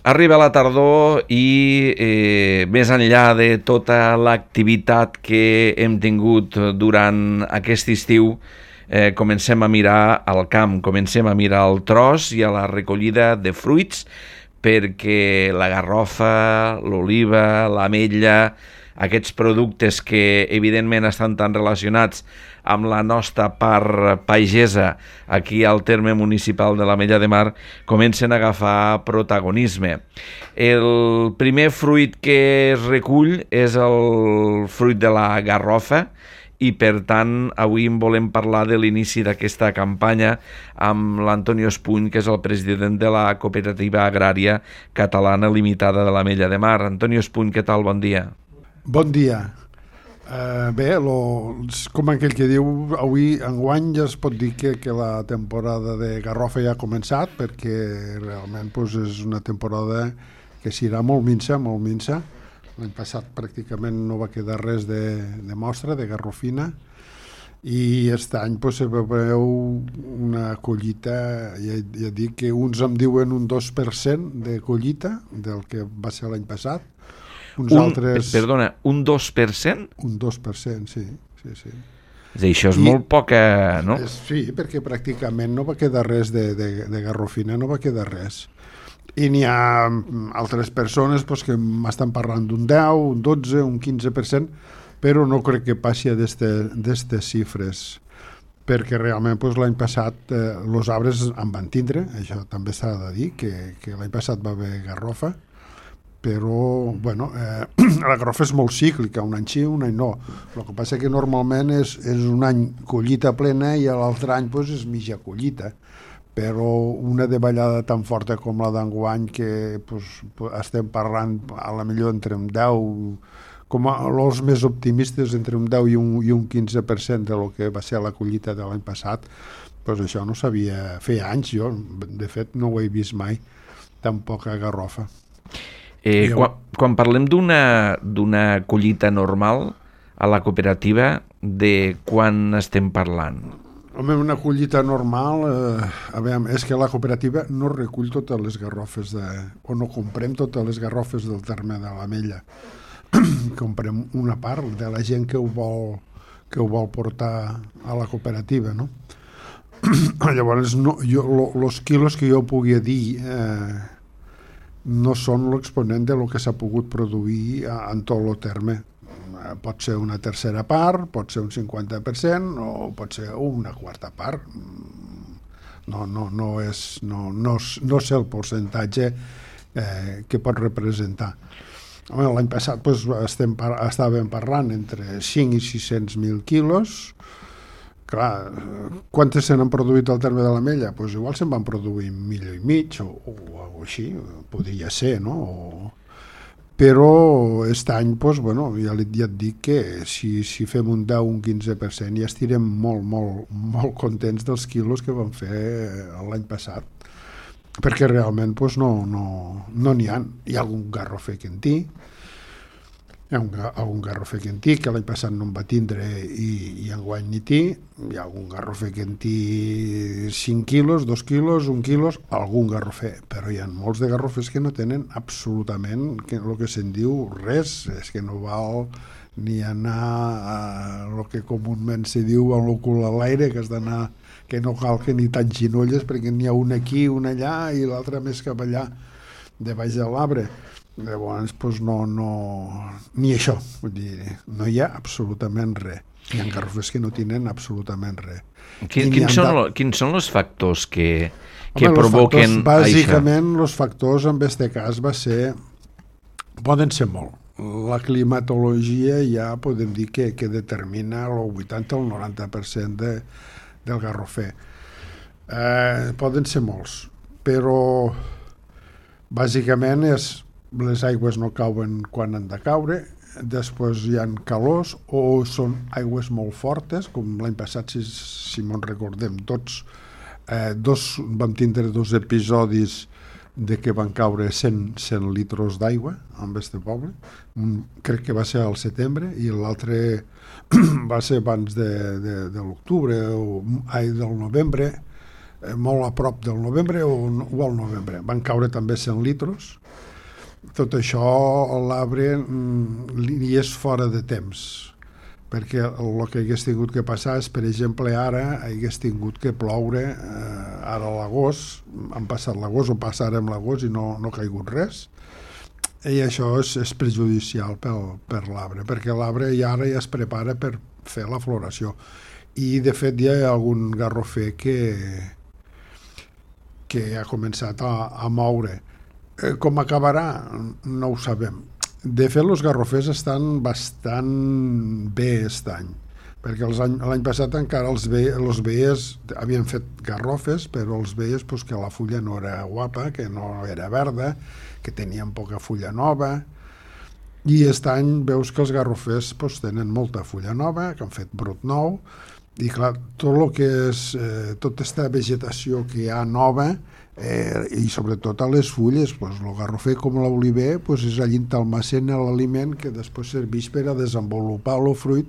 Arriba la tardor i més enllà de tota l'activitat que hem tingut durant aquest estiu, comencem a mirar al camp, comencem a mirar al tros i a la recollida de fruits, perquè la garrofa, l'oliva, l'ametlla, aquests productes que evidentment estan tan relacionats amb la nostra part pagesa aquí al terme municipal de l'Ametlla de Mar, comencen a agafar protagonisme. El primer fruit que es recull és el fruit de la garrofa, i per tant avui en volem parlar de l'inici d'aquesta campanya amb l'Antonio Espuny, que és el president de la Cooperativa Agrària Catalana Limitada de l'Ametlla de Mar. Antonio Espuny, què tal? Bon dia. Bon dia. Bé, com aquell que diu, avui enguany ja es pot dir que la temporada de garrofa ja ha començat, perquè realment és una temporada que serà molt minsa, molt minsa. L'any passat pràcticament no va quedar res de mostra, de garrofina, i aquest any se veu una collita, ja dic que uns em diuen un 2% de collita del que va ser l'any passat. Perdona, un 2%? Un 2%, sí. Això és molt poca, no? Sí, perquè pràcticament no va quedar res de garrofina, no va quedar res. I n'hi ha altres persones que m'estan parlant d'un 10, un 12, un 15%, però no crec que passi a d'aquestes xifres, perquè realment l'any passat els arbres en van tindre, això també s'ha de dir, que l'any passat va haver garrofa, però la garrofa és molt cíclica, un any sí, un any no. El que passa que normalment és un any collita plena i l'altre any és mitja collita, però una davallada tan forta com la d'enguany que estem parlant a la millor entre un 10, com els més optimistes, entre un 10 i un 15% de lo que va ser la collita de l'any passat, això no sabia, feia anys jo, de fet no ho he vist mai, tan poca garrofa. Quan parlem d'una collita normal a la cooperativa, de quan estem parlant? Home, una collita normal, és que la cooperativa no recull totes les garrofes, o no comprem totes les garrofes del terme de l'Ametlla. Comprem una part de la gent que ho vol portar a la cooperativa, no? Llavors, els quilos que jo pugui dir no són l'exponent de lo que s'ha pogut produir en tot el terme. Pot ser una tercera part, pot ser un 50% o pot ser una quarta part. No sé el percentatge que pot representar. L'any passat estàvem parlant entre 5 i 600.000 quilos. Clar, quantes se n'han produït al terme de l'Ametlla? Igual se'n van produir 1,5 milions o així, podria ser, no? Però aquest any, ja et dic que si fem un 10 o un 15% ja estirem molt contents dels quilos que vam fer l'any passat, perquè realment no n'hi ha. Hi ha algun garrofer quintí, algun garrofer quintí que l'any passat no en va tindre i enguany ni té. Hi ha algun garrofer quintí 5 quilos, 2 quilos, 1 quilos, algun garrofer, però hi ha molts de garrofers que no tenen absolutament el que se'n diu res. És que no val ni anar a el que comúment se diu en el cul a l'aire, que has d'anar, que no cal que ni t'enginolles perquè n'hi ha un aquí, un allà i l'altre més cap allà de baix de l'arbre. Llavors, ni això, vull dir, no hi ha absolutament res. Hi ha garrofers que no tenen absolutament res. Quins són els factors que provoquen això? Bàsicament, els factors en aquest cas poden ser molt. La climatologia ja podem dir que determina el 80 o el 90% del garrofer. Poden ser molts, però bàsicament les aigües no cauen quan han de caure, després hi ha calors o són aigües molt fortes, com l'any passat, si me'n recordem tots, vam tindre 2 episodis de que van caure 100 litres d'aigua en aquest poble. Crec que va ser al setembre i l'altre va ser abans de l'octubre o del novembre. molt a prop del novembre o al novembre. Van caure també 100 litros. Tot això l'arbre li és fora de temps, perquè el que hagués tingut que passar és, per exemple, ara hagués tingut que ploure ara a l'agost, han passat l'agost o passarem l'agost i no ha caigut res, i això és perjudicial per l'arbre, perquè l'arbre ja es prepara per fer la floració. I de fet hi ha algun garrofer que ha començat a moure. Com acabarà? No ho sabem. De fet, els garrofers estan bastant bé aquest any, perquè l'any passat encara els veies, havien fet garrofes, però els veies pues, que la fulla no era guapa, que no era verda, que tenien poca fulla nova, i aquest any veus que els garrofers pues, tenen molta fulla nova, que han fet brot nou, i clar, tot el que és tota aquesta vegetació que hi ha nova, i sobretot a les fulles, pues, el garrofer com l'oliver pues, és allí on almacena l'aliment que després serveix per a desenvolupar el fruit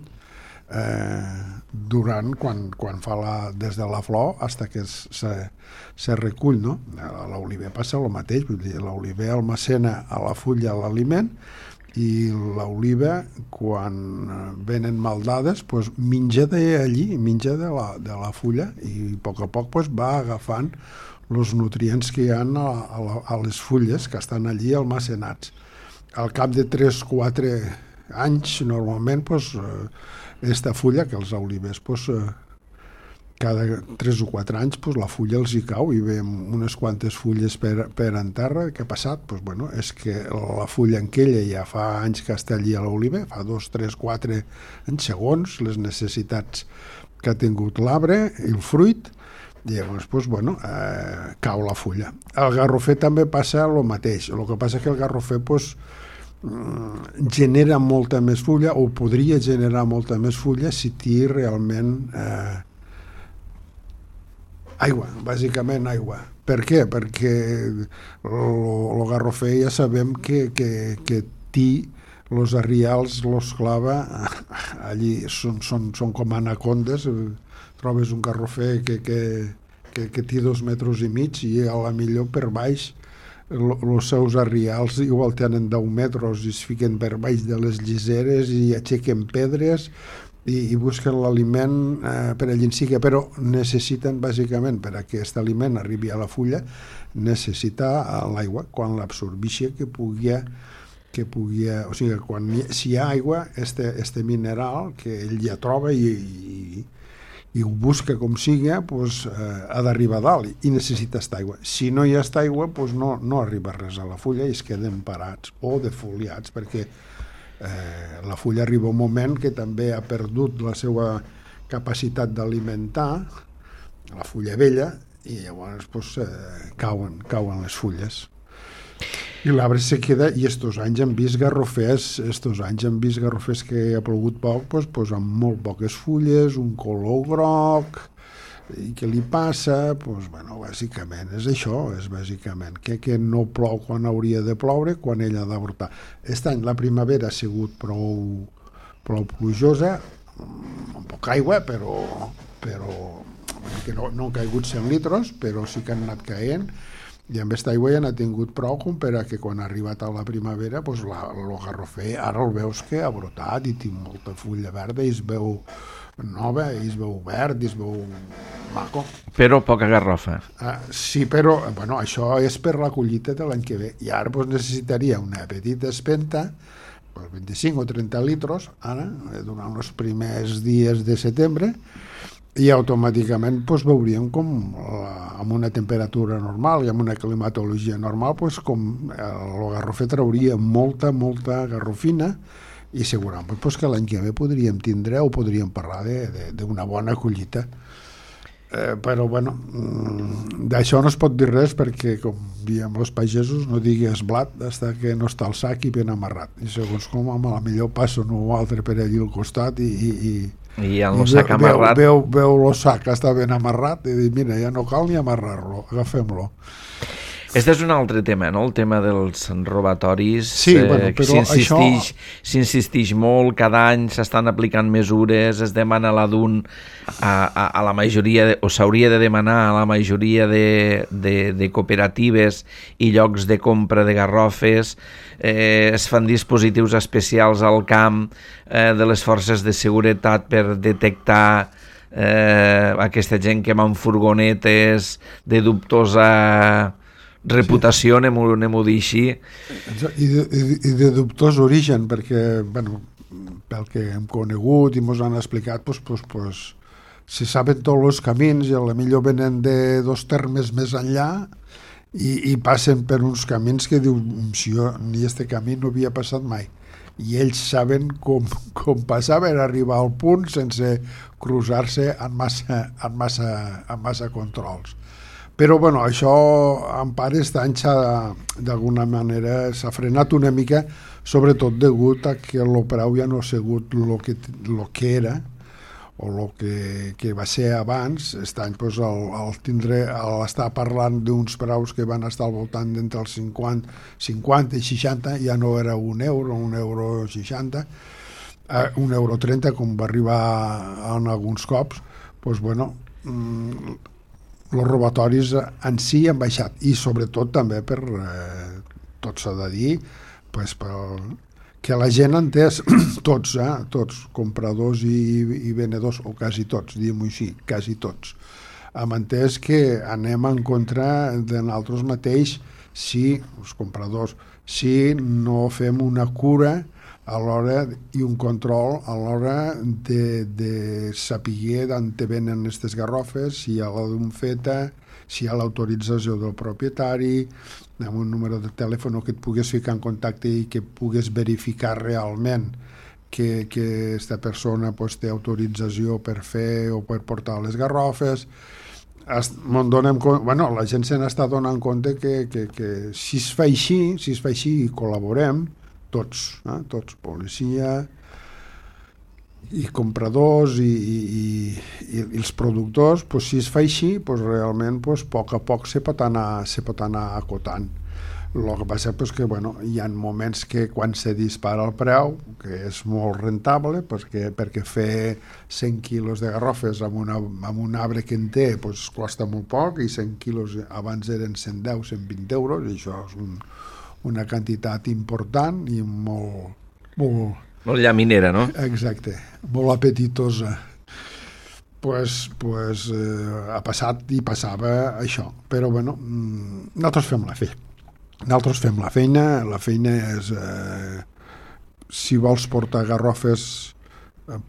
durant quan fa des de la flor fins que se recull, no? A l'oliver passa el mateix, vull dir, l'oliver almacena a la fulla l'aliment i l'oliva, quan venen maldades, pues, menja d'allí, menja de la fulla i a poc pues, va agafant els nutrients que hi ha a les fulles que estan allí almacenats. Al cap de 3-4 anys, normalment, aquesta fulla, que els olivers, cada 3 o 4 anys, la fulla els hi cau i veiem unes quantes fulles per en terra. Què ha passat? Bueno, és que la fulla en aquella ja fa anys que està allí a l'oliver, fa 2, 3, 4 anys, segons les necessitats que ha tingut l'arbre i el fruit, i llavors, cau la fulla. El garrofer també passa el mateix. El que passa és que el garrofer genera molta més fulla, o podria generar molta més fulla si té realment aigua, bàsicament aigua. Per què? Perquè el garrofer ja sabem que té els arrials, els clava allí, són com anacondes. Trobes un garrofer que té 2 metres i mig i a la millor per baix els seus arrials igual tenen 10 metres i es fiquen per baix de les lliseres i aixequen pedres i busquen l'aliment per allà en siga, però necessiten bàsicament, per a que aquest aliment arribi a la fulla, necessita l'aigua. Quan l'absorbeixi que pugui, o sigui, si hi ha aigua, este mineral que ell ja troba i ho busca com sigui, ha d'arribar a dalt i necessita aquesta aigua. Si no hi ha aquesta aigua, no arriba res a la fulla i es queden parats o defoliats, perquè la fulla arriba un moment que també ha perdut la seva capacitat d'alimentar, la fulla vella, i llavors cauen les fulles. I l'arbre se queda, i estos anys hem vist garrofers que ha plogut poc, amb molt poques fulles, un color groc, i què li passa? Bàsicament és això, és bàsicament que no plou quan hauria de ploure, quan ell ha d'avortar. Aquest any la primavera ha sigut prou plujosa, amb poca aigua, però que no han caigut 100 litros, però sí que han anat caient, i amb aquesta aigua ja n'ha tingut prou com per a que quan ha arribat a la primavera el garrofer ara el veus que ha brotat i té molta fulla verda i es veu nova, i es veu verd, i es veu maco. Però poca garrofa. Sí, però això és per la collita de l'any que ve, i ara necessitaria una petita espenta, 25 o 30 litros, ara, durant els primers dies de setembre, i automàticament veuríem com amb una temperatura normal i amb una climatologia normal com el garrofer trauria molta garrofina i segurament que l'any que ve podríem tindre o podríem parlar d'una bona collita. Però d'això no es pot dir res perquè, com diem els pagesos, no digues blat fins que no està el sac i ben amarrat, i segons com a la millor passa un altre per allí al costat i el sac amarrat veu el sac que està ben amarrat i diu, mira, ja no cal ni amarrar-lo, agafem-lo. Este és un altre tema, no? El tema dels robatoris. Sí, bueno, però s'insistix molt, cada any s'estan aplicant mesures, es demana la DUN a la majoria, o s'hauria de demanar a la majoria de cooperatives i llocs de compra de garrofes, es fan dispositius especials al camp de les forces de seguretat per detectar aquesta gent que va amb furgonetes de dubtosa reputació, anem-ho dir així. I de dubtós origen, perquè, bueno, pel que hem conegut i ens han explicat, pues, se saben tots els camins i potser venen de 2 termes més enllà i passen per uns camins que diu, si jo ni este camí no havia passat mai. I ells saben com passar per arribar al punt sense cruzar-se en massa controls. Però bueno, això en part aquest any d'alguna manera s'ha frenat una mica, sobretot degut a que el preu ja no ha sigut el que era o el que va ser abans. Aquest any pues, l'estar parlant d'uns preus que van estar al voltant d'entre els 50 i 60, ja no era €1, €1,60, €1,30, com va arribar en alguns cops. Pues, bueno, els robatoris en si han baixat, i sobretot també per, tot s'ha de dir, pues, que la gent ha entès, tots, compradors i venedors, o quasi tots, diguem-ho així, quasi tots, hem entès que anem en contra de nosaltres mateix si, els compradors, si no fem una cura a l'hora i un control a l'hora de saber d'on te venen aquestes garrofes, si hi ha la d'un feta, si hi ha l'autorització del propietari, amb un número de telèfon que et pugues ficar en contacte i que pugues verificar realment que aquesta persona pues, té autorització per fer o per portar les garrofes. Bueno, la gent se n'està donant compte que si es fa així i col·laborem tots, policia i compradors i els productors, pues, si es fa així, pues, realment pues, a poc a poc se pot anar acotant. El que passa és que hi ha moments que quan se dispara el preu, que és molt rentable, perquè fer 100 quilos de garrofes amb un arbre que en té pues, costa molt poc, i 100 quilos abans eren 110, 120 euros, i això és una quantitat important i molt llaminera, no? Exacte, molt apetitosa. Pues ha passat i passava això. Però, nosaltres fem la feina. La feina és, si vols portar garrofes,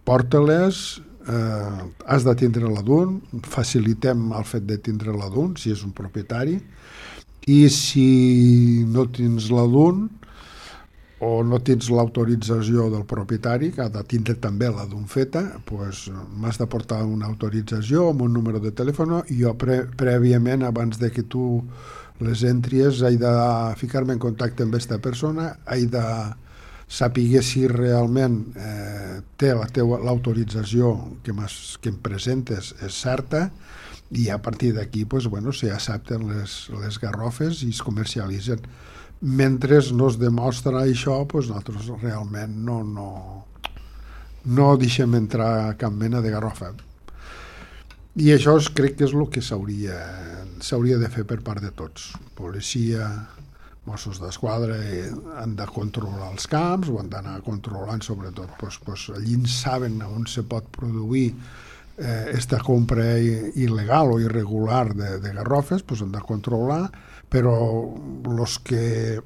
porta-les, has de tindre la DUN, facilitem el fet de tindre la DUN, si és un propietari, i si no tens la DUN, o no tens l'autorització del propietari, que ha de tindre també la DUN feta, doncs m'has de portar una autorització amb un número de telèfon, i jo prèviament, abans de que tu les entries, he de ficar-me en contacte amb aquesta persona, he de saber si realment té l'autorització que em presentes és certa, i a partir d'aquí s'accepten les garrofes i es comercialitzen. Mentre no es demostra això, nosaltres realment no deixem entrar cap mena de garrofa. I això crec que és el que s'hauria de fer per part de tots. Policia, Mossos d'Esquadra han de controlar els camps, o han d'anar controlant sobretot. Allí saben on se pot produir esta compra il·legal o irregular de garrofes, han de controlar, però els que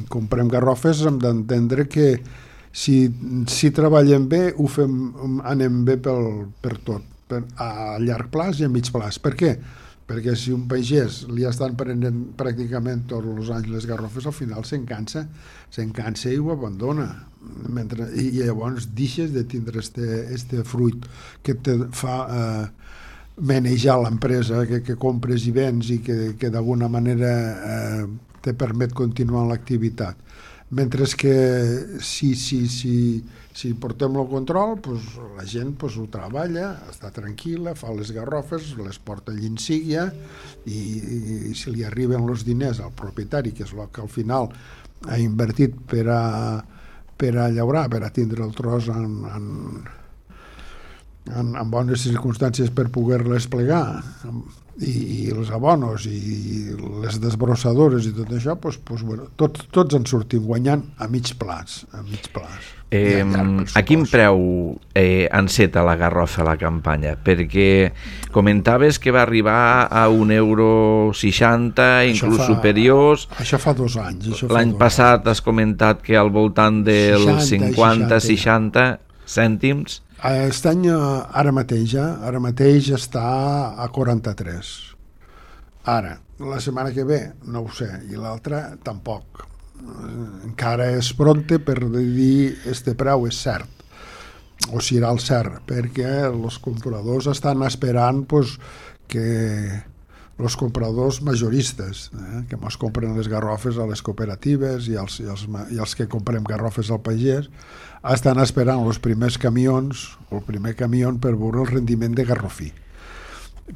comprem garrofes hem d'entendre que si treballem bé, anem bé per tot, a llarg plaç i a mig plaç. Per què? Perquè si un pagès li estan prenent pràcticament tots els anys les garrofes, al final s'encansa i ho abandona. I llavors deixes de tindre este fruit que te fa manejar l'empresa, que compres i vens i que d'alguna manera te permet continuar l'activitat. Mentre que si portem el control, pues, la gent pues, ho treballa, està tranquil·la, fa les garrofes, les porta allí en Síguia i si li arriben els diners al propietari, que és el que al final ha invertit per a llaurar, per a tindre el tros en bones circumstàncies per poder-les plegar, i els abonos i les desbrossadores i tot això, bueno, tots en sortim guanyant a mig plaç. A quin preu enceta la garrofa a la campanya? Perquè comentaves que va arribar a €1,60, inclús superiors. Això fa 2 anys. L'any passat has comentat que al voltant dels 50-60 cèntims. Aquest any, ara mateix està a 43. Ara, la setmana que ve, no ho sé, i l'altra tampoc. Encara és pronte per dir este preu és cert, o si era el cert, perquè els compradors estan esperant que els compradors majoristes, que ens compren les garrofes a les cooperatives i els que comprem garrofes al pagès, estan esperant els primers camions, el primer camió per veure el rendiment de garrofí,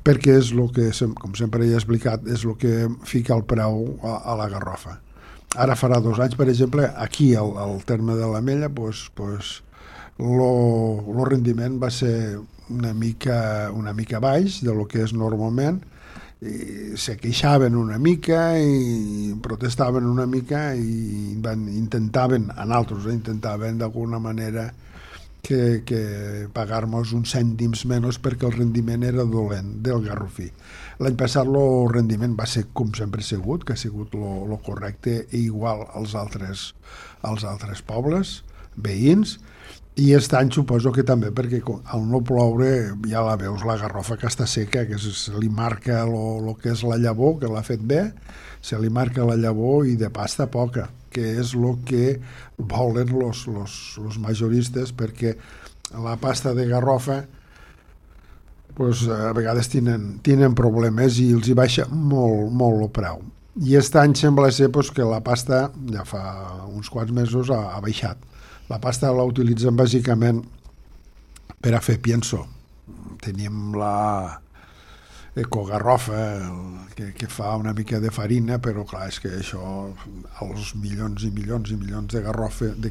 perquè és el que, com sempre he explicat, és el que fica el preu a la garrofa. Ara farà 2 anys, per exemple, aquí al terme de l'Ametlla, el rendiment va ser una mica baix de lo que és normalment, i se queixaven una mica i protestaven una mica i intentaven d'alguna manera que pagar-nos uns cèntims menys perquè el rendiment era dolent del garrofí. L'any passat el rendiment va ser com sempre ha sigut, que ha sigut el correcte i igual als altres pobles veïns, i aquest any suposo que també, perquè al no ploure ja la veus, la garrofa que està seca, que se li marca el que és la llavor, que l'ha fet bé, se li marca la llavor i de pasta poca, que és el que volen els majoristes, perquè la pasta de garrofa a vegades tenen problemes i els hi baixa molt el preu. I aquest any sembla ser que la pasta ja fa uns quants mesos ha baixat. La pasta la utilitzen bàsicament per a fer pienso. Tenim la ecogarrofa que fa una mica de farina, però clar, és que això, els milions i milions i milions de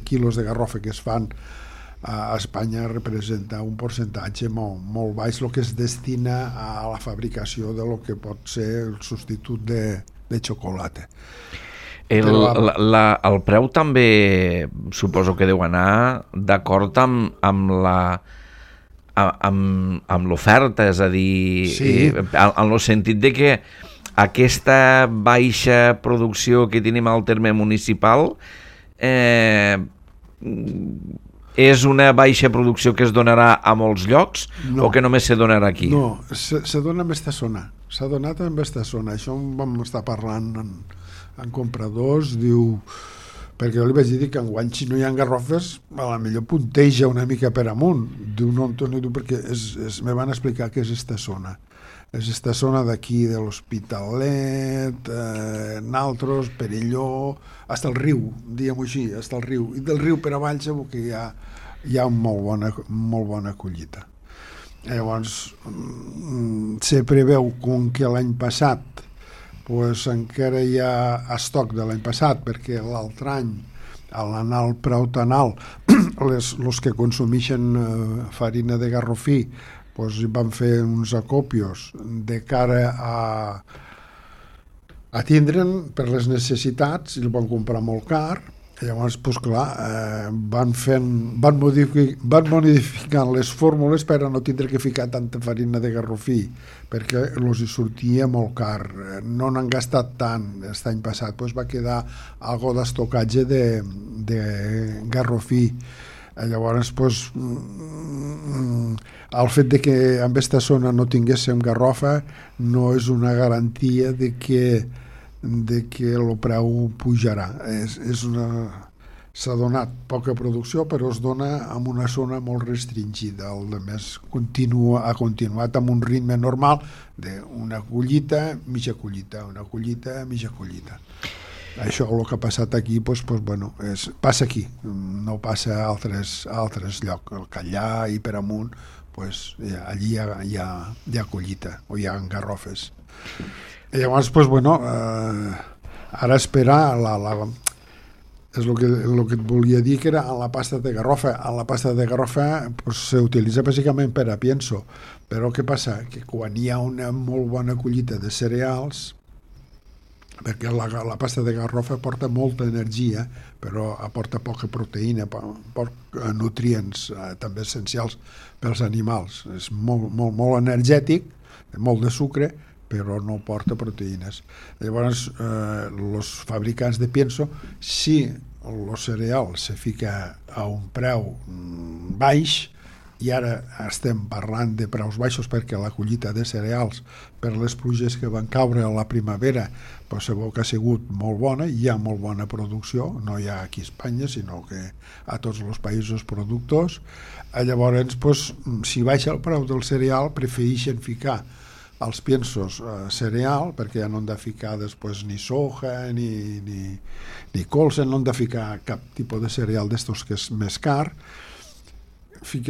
quilos de garrofa que es fan a Espanya representa un percentatge molt baix el que es destina a la fabricació de lo que pot ser el substitut de xocolata. El preu també suposo que deu anar d'acord amb l'oferta, és a dir, sí. En el sentit de que aquesta baixa producció que tenim al terme municipal és una baixa producció que es donarà a molts llocs o que només se donarà aquí? No, se dona en esta zona. S'ha donat en esta zona. Això vam estar parlant en compradors, diu, perquè jo li vaig dir que enguany si no hi ha garrofes a la millor punteja una mica per amunt. Diu, no, Antoni, perquè me van explicar que és esta zona. És esta zona d'aquí de l'Hospitalet, Naltros, Perelló, fins al riu, diguem-ho així, fins al riu. I del riu per avall segur que hi ha molt bona collita. Llavors, se preveu com que l'any passat encara hi ha estoc de l'any passat, perquè l'altre any, a l'anar al preu tan alt, els que consumeixen farina de garrofí van fer uns acopios de cara a tindre'n per les necessitats i el van comprar molt car. Llavors, clar, van modificant les fórmules per a no tindre que ficar tanta farina de garrofí, perquè els hi sortia molt car. No n'han gastat tant. Aquest any passat va quedar algo d'estocatge de garrofí. Llavors, el fet de que en aquesta zona no tinguéssim garrofa no és una garantia de que el preu pujarà. S'ha donat poca producció, però es dona en una zona molt restringida. El més ha continuat amb un ritme normal d'una collita, mitja collita, una collita, mitja collita. Això, el que ha passat aquí, bueno, passa aquí, no passa a altres llocs. El Callà i per amunt, allí hi ha collita, o hi ha garrofes. I llavors, bueno, ara esperar és el que et volia dir, que era en la pasta de garrofa. En la pasta de garrofa s'utilitza bàsicament per a pienso, però què passa? Que quan hi ha una molt bona collita de cereals, perquè la pasta de garrofa aporta molta energia, però aporta poca proteïna, poc nutrients també essencials pels animals. És molt energètic, molt de sucre, però no porta proteïnes. Llavors, els fabricants de pienso, si el cereal se fica a un preu baix, i ara estem parlant de preus baixos perquè la collita de cereals, per les pluges que van caure a la primavera, sabeu que ha sigut molt bona, hi ha molt bona producció, no hi ha aquí a Espanya, sinó que a tots els països productors. Llavors, si baixa el preu del cereal, prefereixen ficar els piensos cereal, perquè ja no han de ficar després ni soja ni colza, no han de ficar cap tipus de cereal d'estos que és més car.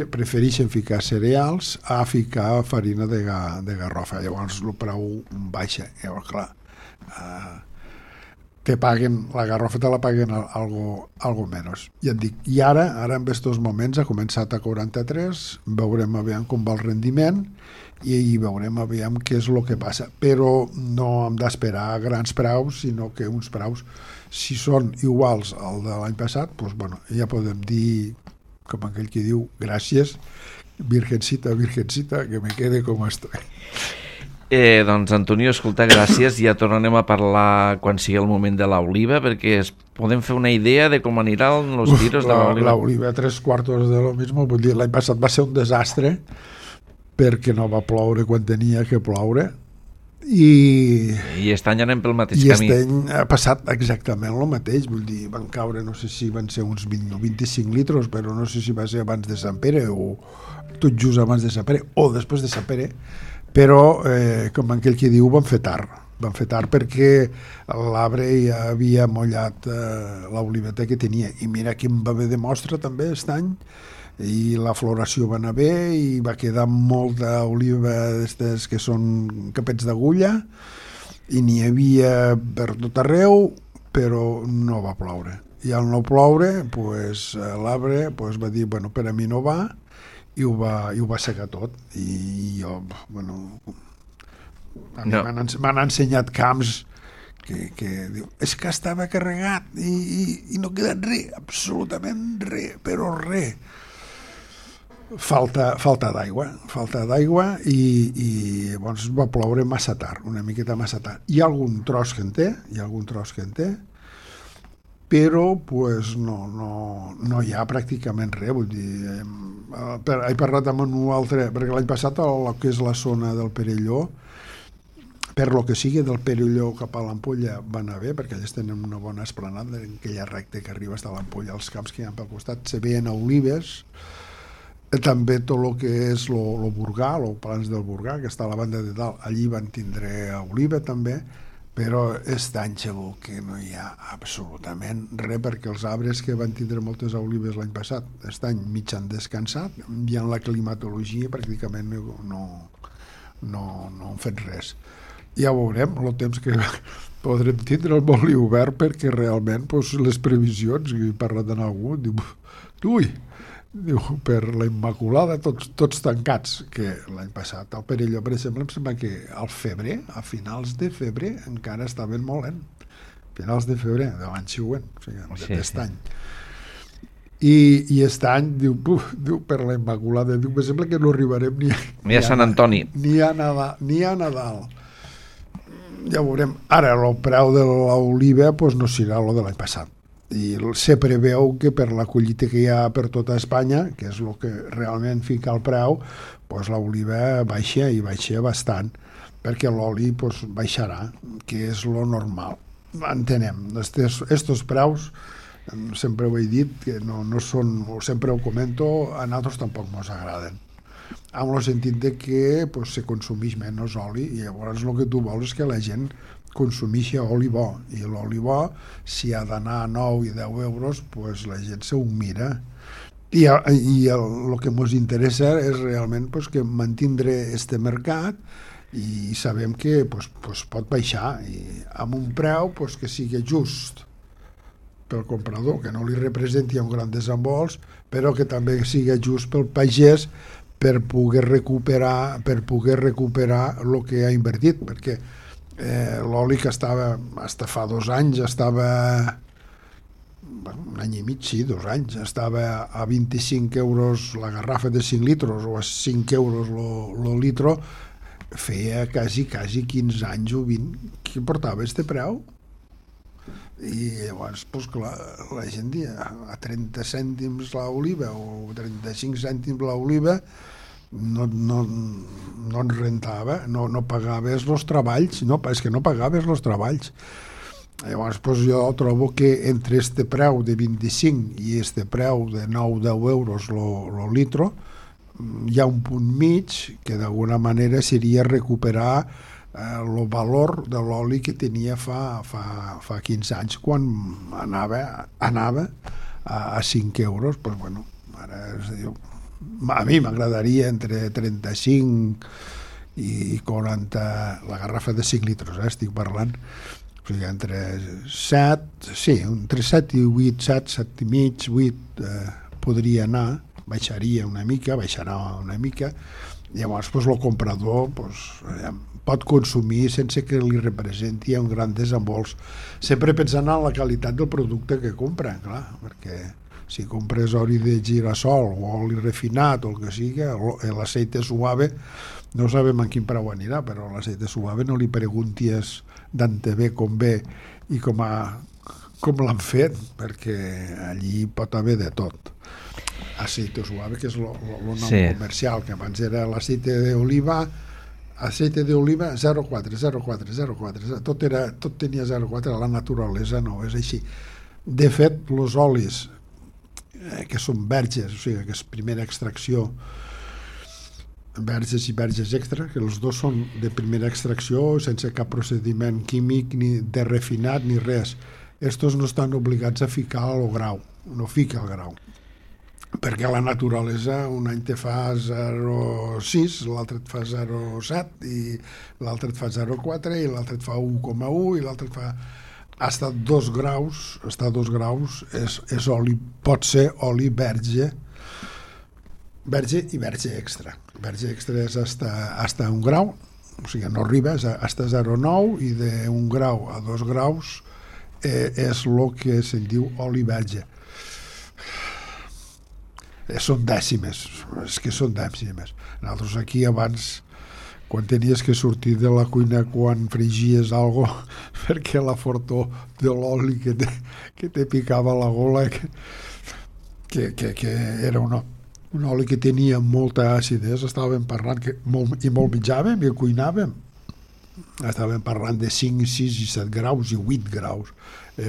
Prefereixen ficar cereals a ficar farina de garrofa. Llavors el preu baixa. Llavors, clar, la garrofa te la paguen algo menys. Ja et dic, i ara en aquests moments ha començat a 43, veurem aviam com va el rendiment i veurem aviam què és el que passa, però no hem d'esperar grans preus, sinó que uns preus, si són iguals al de l'any passat, bueno, ja podem dir, com aquell que diu, gràcies, virgencita, que me quede com estoy. Doncs Antonio, escolta, gràcies. Ja tornarem a parlar quan sigui el moment de l'oliva, perquè podem fer una idea de com aniran els tiros de l'oliva. L'oliva, 3/4 de lo mismo. Vull dir, l'any passat va ser un desastre perquè no va ploure quan tenia que ploure i aquest any anem pel mateix camí. I aquest any ha passat exactament el mateix. Vull dir, van caure, no sé si van ser uns 20 o 25 litres, però no sé si va ser abans de Sant Pere o tot just abans de Sant Pere o després de Sant Pere, però com aquell que diu, van fer tard perquè l'arbre ja havia mollat l'oliveta que tenia, i mira quin va haver de mostra també aquest any, i la floració va anar bé i va quedar molta oliva d'estes que són capets d'agulla, i n'hi havia per tot arreu, però no va ploure, i al no ploure l'arbre va dir, bueno, per a mi no va, i ho va secar tot. I jo, bueno, m'han ensenyat camps que diu, és que estava carregat i no queda res, absolutament res, però res. Falta d'aigua i llavors va ploure massa tard, una miqueta massa tard. Hi ha algun tros que en té, però no hi ha pràcticament res. Vull dir, he parlat amb un altre, perquè l'any passat el que és la zona del Perelló, per lo que sigui del Perelló cap a l'Ampolla va anar bé, perquè ells tenen una bona esplanada en aquella recta que arriba fins a l'Ampolla, els camps que hi ha pel costat se veien olives, també tot el que és el Burgà, el Plans del Burgà, que està a la banda de dalt, allí van tindre oliva també, però aquest any segur que no hi ha absolutament res, perquè els arbres que van tindre moltes olives l'any passat, aquest any mig han descansat, i en la climatologia pràcticament no han fet res. Ja veurem el temps que podrem tindre el molt obert, perquè realment les previsions, he parlat amb algú, diu, per la Immaculada tots tancats, que l'any passat al Perelló, per exemple, em sembla que al febrer, a finals de febrer, encara estaven molt lent, finals de febrer de l'any següent, o sigui, d'aquest any. I aquest any diu, per la Immaculada, diu, em sembla que no arribarem ni a Sant Antoni, ni a Nadal. Ja veurem. Ara el preu de l'oliva no serà el de l'any passat, i se preveu que per la collita que hi ha per tota Espanya, que és el que realment fica el preu, l'oliva baixa, i baixa bastant, perquè l'oli baixarà, que és lo normal. Entenem, estos preus, sempre ho he dit, que no són, sempre ho comento, a nosaltres tampoc ens agraden, amb el sentit de que se consumeix menys oli, i llavors el que tu vols és que la gent consumir oli bo, i l'oli bo, si ha d'anar a 9 i 10 euros, pues la gent se ho mira. I el que ens interessa és realment pues, que mantindre este mercat, i sabem que pues, pot baixar, i amb un preu pues, que sigui just pel comprador, que no li representi un gran desembols, però que també sigui just pel pagès, per poder recuperar el que ha invertit, perquè l'oli que estava, fins fa 2 anys, estava, un any i mig, sí, 2 anys, estava a 25 euros la garrafa de 5 litres o a 5 euros el litro, feia quasi 15 anys o 20 que portava este preu. I llavors, doncs clar, la gent dia a 30 cèntims l'oliva o 35 cèntims l'oliva no en rentava, no pagaves els treballs, és que no pagaves els treballs. Llavors, doncs jo trobo que entre este preu de 25 i este preu de 9-10 euros el litro, hi ha un punt mig que d'alguna manera seria recuperar el valor de l'oli que tenia fa 15 anys, quan anava a 5 euros. Pues bueno, ara es diu, a mi m'agradaria entre 35 i 40 la garrafa de 5 litres, estic parlant, o sigui, entre 7, sí, entre 7 i 8, 7 i mig, 8 podria anar, baixarà una mica, llavors pues, el comprador pues, pot consumir sense que li representi un gran desembols, sempre pensant en la qualitat del producte que compra, clar, perquè si compres oli de girassol o oli refinat o el que sigui, l'aceite suave no sabem en quin preu anirà, però l'aceite suave no li preguntis d'antebé com ve i com l'han fet, perquè allí pot haver de tot. Aceite suave, que és el nom comercial, que abans era l'aceite d'oliva, aceite d'oliva 0,4, tot tenia 0,4, la naturalesa no és així. De fet, els olis que són verges, o sigui, que és primera extracció, verges i verges extra, que els dos són de primera extracció, sense cap procediment químic, ni de refinat, ni res. Estos no estan obligats a ficar el grau, no fica el grau, perquè la naturalesa un any te fa 0,6, l'altre et fa 0,7 i l'altre et fa 0,4 i l'altre et fa 1,1 i l'altre et fa hasta 2 graus, és oli, pot ser oli verge i verge extra. Verge extra és hasta 1 grau, o sigui, no arriba, és hasta 0,9 i d'1 grau a 2 graus és el que se'n diu oli verge. Són dècimes, és que són dècimes. Nosaltres aquí abans, quan tenies que sortir de la cuina quan frigies algo, perquè la fortor de l'oli que te picava la gola, que era un oli que tenia molta acidesa, estàvem parlant i molt menjàvem i cuinàvem, estàvem parlant de 5, 6 i 7 graus i 8 graus,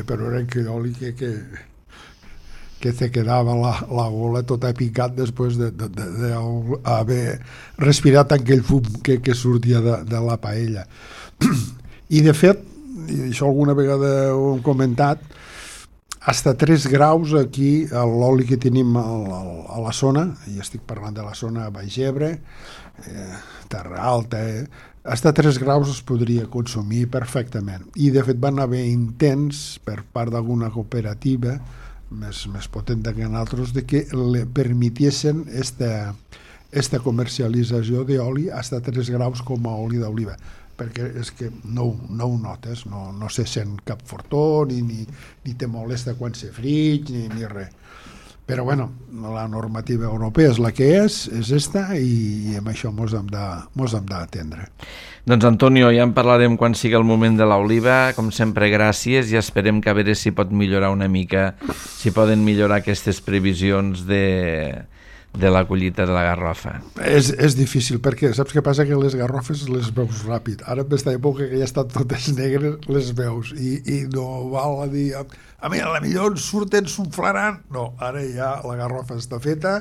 però era aquell oli que te quedava la gola tota picat després d'haver respirat aquell fum que sortia de la paella. I de fet, i això alguna vegada ho hem comentat, hasta 3 graus aquí l'oli que tenim a la zona, i estic parlant de la zona Baix Ebre, Terra Alta, hasta 3 graus es podria consumir perfectament. I de fet van haver intents per part d'alguna cooperativa més potent que nosaltres, de que le permitiessin esta comercialització d'oli hasta 3 graus com a oli d'oliva, perquè és que no ho notes, no se sent cap fortor, ni te molesta quan se frig, ni res. Però bueno, la normativa europea és la que és esta, i amb això mos hem d'atendre. Doncs Antonio, ja en parlarem quan sigui el moment de l'oliva. Com sempre, gràcies, i esperem que a veure si pot millorar una mica, si poden millorar aquestes previsions de la collita de la garrofa. És difícil, perquè saps què passa? Que les garrofes les veus ràpid. Ara en aquesta època que ja estan totes negres, les veus, i no val a dir a mi, a la millor surten, s'unflaran. No, ara ja la garrofa està feta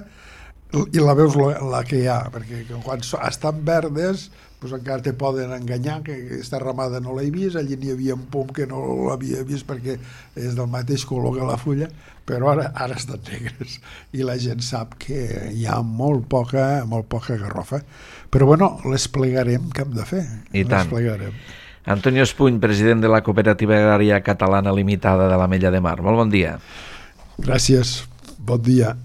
i la veus la que hi ha, perquè quan estan verdes doncs encara te poden enganyar, que aquesta ramada no l'he vist, allí n'hi havia un pom que no l'havia vist perquè és del mateix color que la fulla, però ara estan negres i la gent sap que hi ha molt poca garrofa, però bueno, les plegarem, què hem de fer? I tant. Plegarem. Antonio Espuny, president de la Cooperativa Agrària Catalana Limitada de l'Ametlla de Mar. Molt bon dia. Gràcies, bon dia.